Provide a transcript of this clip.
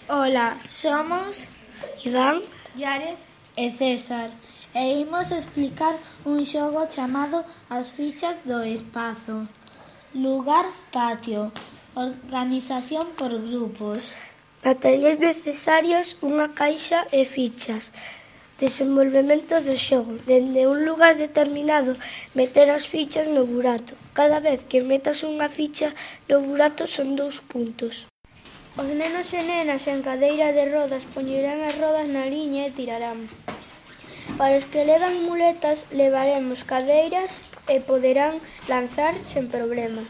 Ola, somos Iván, Yarez e César e imos explicar un xogo chamado As fichas do espazo. Lugar, patio. Organización por grupos. materiais necesarios, unha caixa e fichas. Desenvolvemento do xogo. Dende un lugar determinado, meter as fichas no burato. Cada vez que metas unha ficha no burato son 2 puntos. Os nenos e nenas en cadeira de rodas poñerán as rodas na liña e tirarán. Para os que levan muletas levaremos cadeiras e poderán lanzar sen problema.